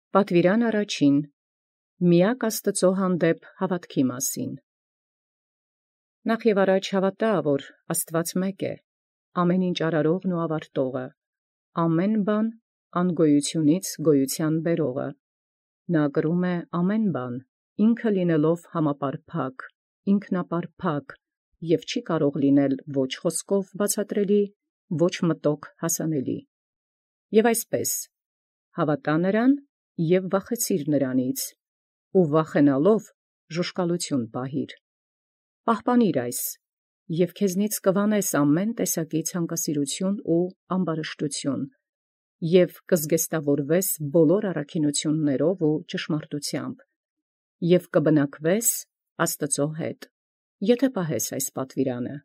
Պատվիրան առաջին. Միակ Աստուծոյ հանդեպ հաւատոյ մասին։ Նախ և առաջ հաւատայ, որ Աստուած մէկ է, ամենայն ինչ արարողն ու աւարտողը, ամեն բան անգոյութիւնից գոյութեան բերողը. նա կրում է ամեն բան, ինքն լինելով համապարփակ, ինքնապարփակ և չի կարող լինել ոչ խոսքով բացատրելի, ոչ մտոք հասանելի։ Եւ այսպէս հաւատա նրան և վախեցիր նրանից, ու վախենալով ժուշկալութիւն պահիր. պահպանիր այս, և քեզնից կուանես ամեն տեսակի ցանկասիրութիւն ու ամբարշտութիւն, և կզգեստաւորվես բոլոր առաքինութիւնացն ու ճշմարտութեամբ, և կբնակվես Աստուծոյ հետ, եթէ պահես այս պատուիրանը։